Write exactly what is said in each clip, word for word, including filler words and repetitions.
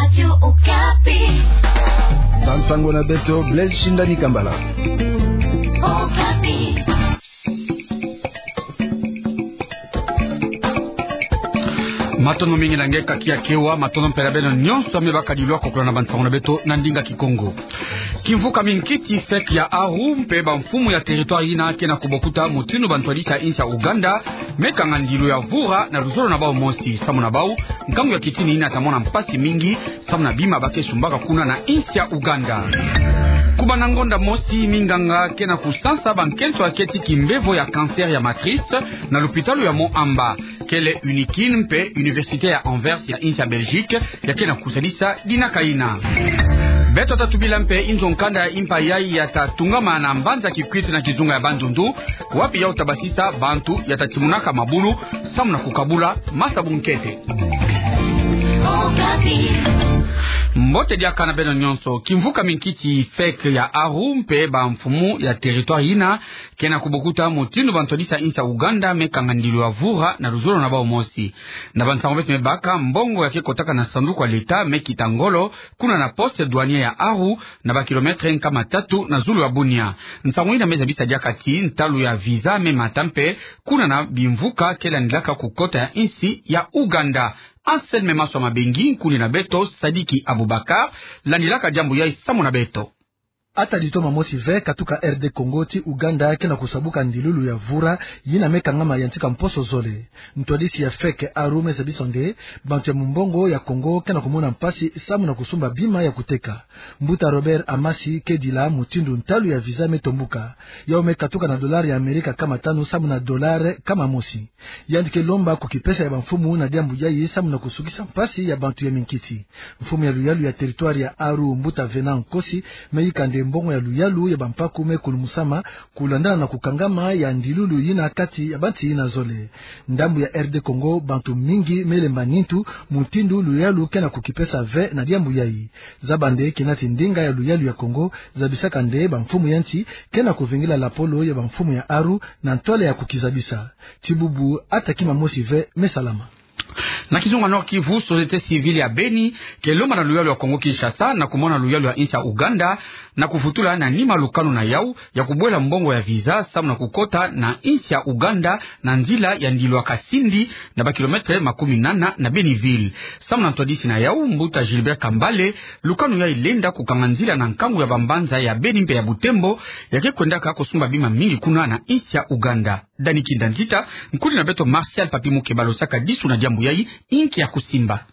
Radio Okapi. Bansango na beto, Blaise Shindani Kambala. Okapi. Matondo mingi na nge kaki ya kewa, matondo mpe na beno nyonso me bakadi lwa kokola na bansango na beto na ndinga Kikongo. Kimvuka minkiti, fête ya Aru mpe bamfumu ya territoire yina ke na kubokuta mutindu bantwadisi ya insi ya Ouganda me kanga ndilu ya vura na luzolo na bau mosi, samu na bau nkangu ya kitini yina ta mona mpasi mingi samu na bima ba ke sumbaka kuna na insi ya Ouganda. Kubanda ngonda mosi, minganga ke na kusansa bankento ya keti kimbevo ya cancer ya matrice na lupitalu ya Moamba. Kele UNIKIN mpe Université ya Anvers ya insi ya Belgique ya ke na kusadisa dinaka yina. Beto ta tubila mpe inzo nkanda ya impa yai ya ta tungama na mbanza Kikwit na kizunga ya Bandundu, wapi yau ta basisa bantu ya ta timunaka mabulu samu na kukabula masa bunkete. Mbote diaka na beno nyonso. Kimvuka minkiti, fête ya Aru mpe bamfumu ya territoire yina ke na kubokuta mutindu bantwadisi ya insi ya Ouganda me kanga ndilu ya vura na luzolo na bau mosi. Na bansango beto me baka, mbongo ya ke kotaka na sanduku ya l'État me kita ngolo kuna na poste douanier ya Aru, na bakilomètre nkama tatu na zulu ya Bunia. Nsangu yina me zabisa diaka ti ntalu ya visa me mata mpe kuna na bimvuka ke landilaka kukota ya insi ya Ouganda. Anselme Maswa Mabengi, nkundi na beto Sadiki Abubakar landilaka diambu yai samu na beto. Ata litoma mosi ve katuka R D Congo ti Ouganda ke na kusabuka ndilulu ya vura yina me kangama yantika mposo zole. Ntwadisi ya fête Aru me zabisa nde bantu ya mumbongo ya Congo ke na kumona mpasi samu na kusumba bima ya kuteka. Mbuta Robert Amasi ke dila mutindu ntalu ya visa me tombuka. Yau me katuka na dollar ya Amerika kama tanu samu na dollar kama mosi. Yandi ke lomba kukipesa ya bamfumu na diambu yai samu na kusukisa mpasi ya bantu ya minkiti. Mfumu ya luyalu ya territoire ya Aru, Mbuta Venant Nkosi, me yika nde mbongo ya luyalu ya bampaku me kulumusama kulandana na kukangama ya ndilulu yina kati ya banti yina zole. Ndambu ya R D Congo, bantu mingi me lemba nintu mutindu luyalu ke na kukipesa ve na diambu yai. Zaba nde kina ti ndinga ya luyalu ya Congo zabisaka nde bamfumu ya nsi ke na kuvingila lapolo ya bamfumu ya Aru na ntwala ya kukizabisa. Ti bubu, ata kima mosi ve me salama. Na kizunga Nord-Kivu, société civile ya Beni ke lomba na luyalu ya Congo Kinshasa na kumona luyalu ya insi ya Ouganda na kuvutula na nima lukanu na yau ya kubwela mbongo ya visa samu na kukota na insi ya Ouganda na nzila ya ndilu ya Kasindi, na bakilomètre makumi nana na Beni-Ville. Samu na ntwadisi na yau, Mbuta Gilbert Kambale, lukanu yai lenda kukanga nzila na nkangu ya bambanza ya Beni mpe ya Butembo, ya ke kwendaka kusumba bima mingi kuna na insi ya Ouganda. Dani Kinda Nzita, nkundi na beto Martial Papi Mukeba, losaka disu na diambu yai, inki ya kusimba.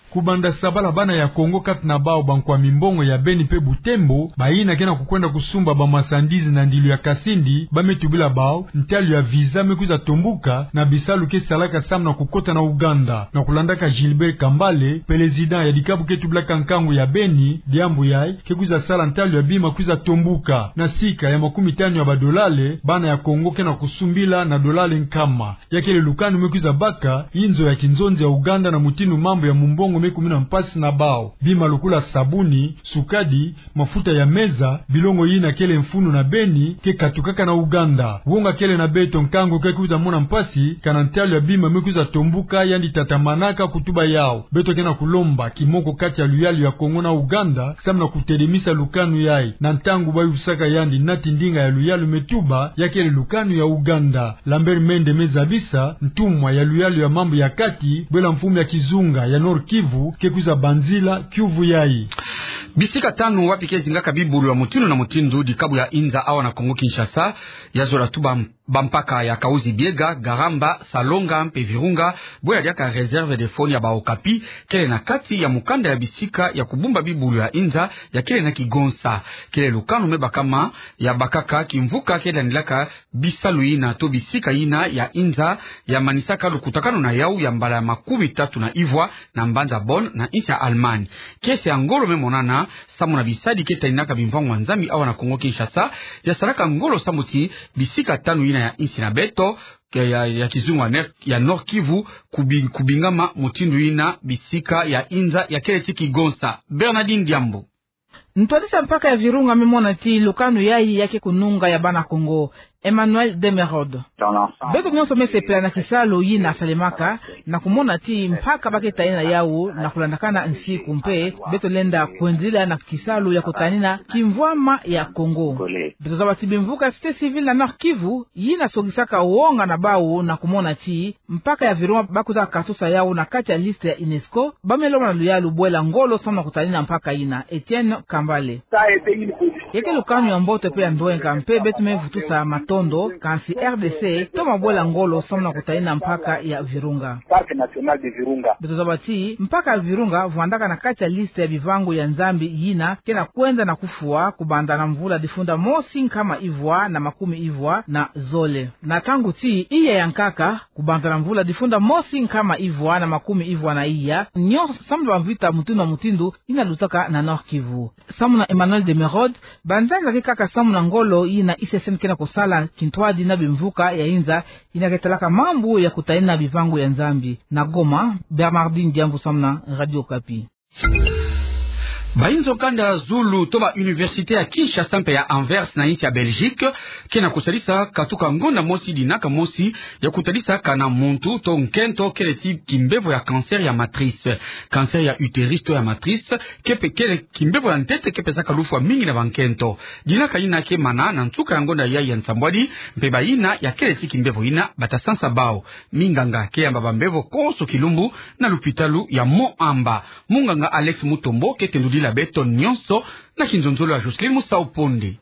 Kubanda sabala, bana ya Congo, kati na bau bankwa mimbongo ya Beni mpe Butembo, bayina ke na kukwenda kusumba ba marchandises na ndilu ya Kasindi, ba me tubila bau ntalu ya visa me kwiza tombuka na bisalu ke salaka samu na kukota na Ouganda. Na kulandaka Gilbert Kambale, président ya dikabu ke tubilaka nkangu ya Beni, diambu yai ke kwiza sala ntalu ya bima kwiza tombuka. Na sika ya makumi tanu ya badolale, bana ya Congo ke na kusumbila na dolale nkama. Ya kele lukanu me kwiza baka inzo ya kinzonzi ya Ouganda na mutindu mambu ya mumbongo me kumina mpasi na bau. Bima lukula sabuni, sukadi, mafuta ya meza, bilongo yina kele mfunu na Beni, ke katukaka na Ouganda. Wonga kele na beto, nkangu ke kwiza mona mpasi, kana ntalu ya bima me kwiza tombuka, yandi tatamanaka kutuba yau. Beto ke na kulomba kimoko kati ya luyalu ya Congo na Ouganda, samu na kutedemisa lukanu yai, na ntangu ba yusaka yandi nati ndinga ya luyalu me tuba, ya kele lukanu ya Ouganda. Lambert Mende me zabisa, ntumwa ya luyalu ya mambu ya kati, bwela mfumu ya kizunga ya Nord-Kivu, ke kwiza banzila kiuvu yai. Bisika tanu wapi ke zingaka bibulu ya mutindu na mutindu dikabu ya Inza awa na Congo Kinshasa, ya zola tuba bampaka ya Kahuzi-Biega, Garamba, Salonga mpe Virunga, bwela diaka réserve de faune ya ba Okapi, kele na kati ya mukanda ya bisika ya kubumba bibulu ya Inza ya kele na kigonsa. Kele lukanu me bakama ya bakaka kimvuka ke landilaka bisalu yina to bisika yina ya Inza ya manisaka lukutakanu na yau ya mbala ya makumi tatu na ivwa na mbanza Bonn na insi ya Allemagne. Kiese ya ngolo me monana, samu na bisadi ke taninaka bimvwangwa nzambi awa na Congo Kinshasa, ya salaka ngolo samu ti bisika tanu yina ya insi na beto, ke ya, ya kizunga ner-, ya Nord-Kivu, kubi-, kubingama mutindu yina bisika ya Inza ya kele ti kigonsa. Bernardine Diambo. Ntwadisi ya mpaka ya Virunga me mona ti lukanu yayi ya ke kununga ya bana Kongo. Emmanuel Demerode. Beto nyonso me sepela na kisalu yina salemaka, na kumona ti mpaka ba ke tanina yawu na kulandakana nsiku mpe beto lenda kwendila na kisalu ya kutanina kimvwama ya Kongo. Beto zaba ti bimvuka société civile na Nord-Kivu yina sogisaka wonga na bawu na kumona ti mpaka ya Virunga ba kwiza katusa yawu na kati ya liste ya UNESCO, ba me lomba na luyalu bwela ngolo samu na kutanina mpaka yina. Etienne Kambale. Ya ke lukanu ya mbote mpe ya ndwenga mpe beto me vutusa matondo, kansi R D C toma bwela ngolo samu na kutanina mpaka ya Virunga. Beto zaba ti mpaka ya Virunga vwandaka na kati ya liste ya bivangu ya Nzambi yina ke na kwenda na kufwa kubanda na mvula difunda mosi nkama ivwa na makumi ivwa na zole. Na ntangu ti iya ya nkaka, kubanda na mvula difunda mosi nkama ivwa na makumi ivwa na iya, nionso samu na bamvita mutindu na mutindu yina lutaka na Nord-Kivu. Samu na Emmanuel Demerode, banzanza ke kaka samu na ngolo yina I C C N ke na kusala kintwadi na bimvuka ya inza yina ke talaka mambu ya kutanina bivangu ya Nzambi. Na Goma, Bernardine Diambu samu na Radio Okapi. Bayinzo kanda zulu to ba université ya Kinshasa mpe ya Anvers na insi ya Belgique ke na kusalisa katuka ngonda mosi dinaka mosi ya kutadisa kana muntu to nkento kele ti kimbevo ya cancer ya matrice. Cancer ya utérus to ya matrice ke pe kele kimbevo ya ntete ke pesaka lufwa mingi na bankento. Dinaka yina ke mana na nsuka ya ngonda yayi ya nsambwadi, mpe bayina ya kele ti kimbevo yina bata sansa bawu. Minganga ke yamba bambevo konso kilumbu na lupitalu ya Mont Amba. Munganga Alex Mutombo ke tendudila beto nionso na kinzonzolo ya Jocelyne Musau Ponde.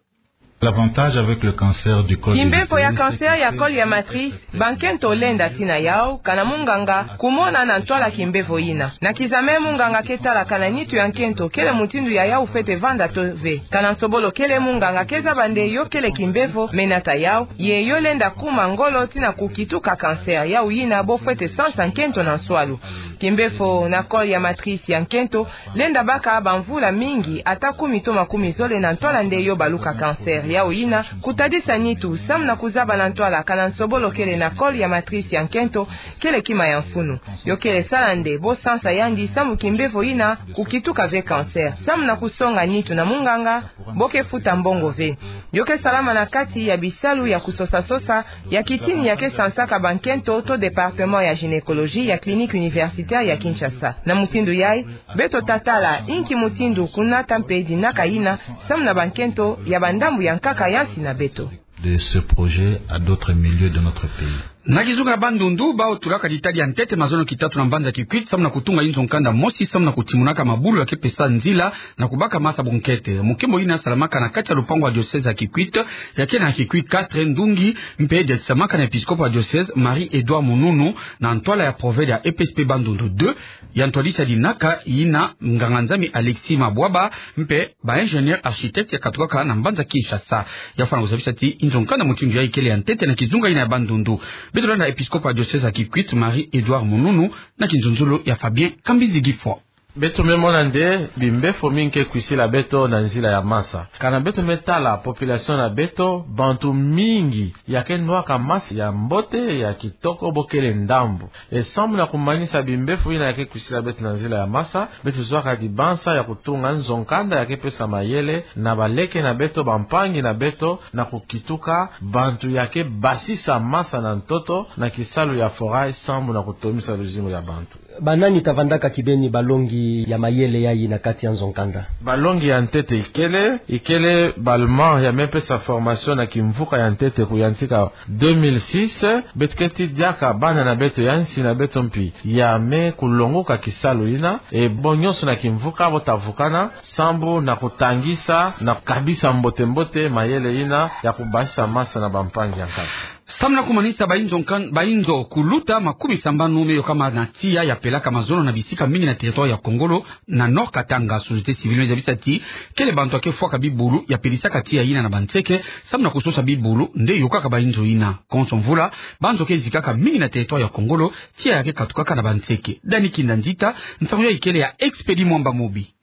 L'avantage avec le cancer du col de Kimbevo ya l'utérus, cancer ya col ya matrice, bankento lenda tina yawu, kana munganga, kumona na ntwala kimbevo yina. Na kizame munganga ke tala kana nitu ya nkento kele mutindu ya yawu fwete vanda to ve. Kana nsobolo kele munganga ke zaba nde yo kele kimbevo, me nata yawu, ye yo lenda kuma ngolo tina kukituka cancer yawu yina bo fwete sansa nkento na nswalu. Kimbevo na col ya matrice ya nkento lenda baka bamvula mingi, ata kumi to makumi zole na ntwala nde yo baluka cancer yawu yina, kutadisa nitu samu na kuzaba na ntwala kana nsobolo kele na col ya matrice ya nkento kele kima ya mfunu. Yo kele sala nde bo sansa yandi samu kimbevo yina kukituka ve cancer. Samu na kusonga nitu na munganga, bo ke futa mbongo ve. Yo ke salama na kati ya bisalu ya kusosa-sosa ya kitini ya ke sansaka bankento to département ya gynécologie ya clinique universitaire ya Kinshasa. Na mutindu yayi, beto ta tala inki mutindu kunata mpe dinaka yina samu na bankento ya bandambu ya nkaka ya nsi na beto. De ce projet à d'autres milieux de notre pays. Na kizunga ya Bandundu, bawu tulaka ditadi ya ntete mazono kitatu na mbanza Kikwit samu na kutunga inzo nkanda mosi samu na kutimunaka mabulu ya ke pesa nzila na kubaka masa bunkete. Mukimbo yina salamaka na kati ya lupangu ya diocèse ya Kikwit, ya ke na Kikwit quatre Ndungi, mpe diatisamaka na episkopo ya diocèse Marie Edouard Mununu, na ntwala ya provede ya E P S P Bandundu deux, ya ntwadisi ya dinaka yina nganga-Nzambi Alexis Mabwaba, mpe ba ingénieur architecte ya katukaka na mbanza Kinshasa. Ya fwana kuzabisa ti inzo nkanda mutindu yayi kele ya ntete na kizunga yina ya Bandundu. Beto landa episkopo ya diocèse ya Kikwit, Marie Edouard Mununu, na kinzonzolo ya Fabien Kambinzi Gifwa. Beto me mona nde bimbevo mingi ke kwisila beto na nzila ya masa. Kana beto me tala population na beto, bantu mingi ya ke nwaka masa ya mbote, ya kitoko, bo kele ndambu. E samu na kumanisa bimbevo yina ya ke kwisila beto na nzila ya masa, beto zwaka dibanza ya kutunga nzo nkanda ya ke pesa mayele na baleke na beto, bampangi na beto, na kukituka bantu ya ke basisa masa na ntoto na kisalu ya forage samu na kutomisa luzingu ya bantu. Banani ta vandaka kibeni balongi ya mayele yayi na kati ya nzo nkanda? Balongi ya ntete ikele, ikele ba-Allemand ya me pesa formation na kimvuka ya ntete kuyantika deux mille six, beto keti diaka bana na beto ya nsi na beto mpi ya me kulongoka kisalu yina, e bo nyonso na kimvuka bo ta vukana, sambu na kutangisa, na kukabisa mbote-mbote mayele yina ya kubasisa masa na bampangi ya nkanda. Samu na kumanisa bainzo nkan-, bainzo kuluta makumi sambanu me yokama na tiya ya pelaka mazono na bisika mingi na territoire ya Kongolo, na Nord Katanga, société civile me zabisa ti kele bantu ya ke fwaka bibulu ya pelisaka tiya yina na banseke, samu na kusosa bibulu nde yokaka bainzo yina. Konso mvula, banzo ke zikaka mingi na territoire ya Kongolo, tiya ya ke katukaka na banseke. Dani Kinda Nzita, nsangu yayi kele ya Expédit Mwamba Mobi.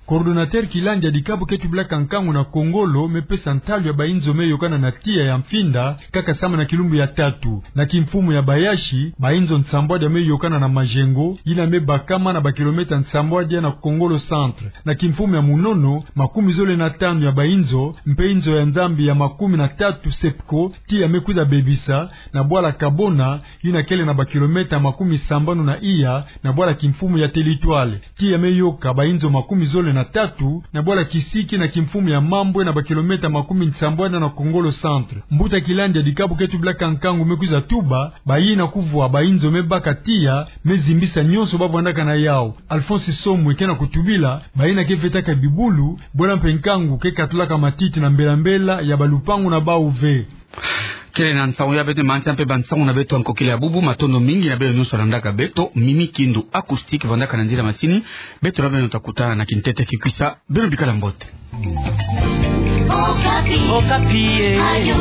Coordonnateur kilandi ya dikabu ke tubilaka nkangu na Kongolo me pesa ntalu ya bainzo me yokana na tiya ya Mfinda, kaka sambanu na kilumbu ya tatu. Na kimfumu ya Bayashi, bainzo nsambwadi ya me yokana na Majengo, yina me bakama na bakilometa nsambwadi ya na Kongolo Centre. Na kimfumu ya Munono, makumi zole na tanu ya bainzo, mpe inzo ya Nzambi ya makumi na tatu SEPCO, tiya me kwiza bebisa, na bwala Kabona, yina kele na bakilometa makumi sambanu na iya, na bwala kimfumu ya Telitoile. Tiya me yoka bainzo makumi zole na tatu, na bwala Kisiki na kimfumu ya Mambwe na bakilometa makumi nsambwadi na Kongolo Centre. Mbuta kilandi ya dikabu ke tubilaka nkangu me kwiza tuba, bayina kuvwa bainzo me baka tiya, me zimbisa nyonso bavwandaka na yawu. Alphonse Somwe ke na kutubila, bayina ke vetaka bibulu, bwela mpe nkangu ke katulaka matiti na mbela-mbela ya balupangu na bawu ve. Kele na nsangu ya beto, mantia mpe bansangu na beto ya nkokila ya bubu, matondo mingi na beno nyonso landaka beto, Mimi Kindu Acoustique vandaka na nzila masini, beto na beno ta kutana na kintete kikwisa, beno bikala mbote. Okapi. Okapi, eh. Radio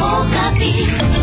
Okapi.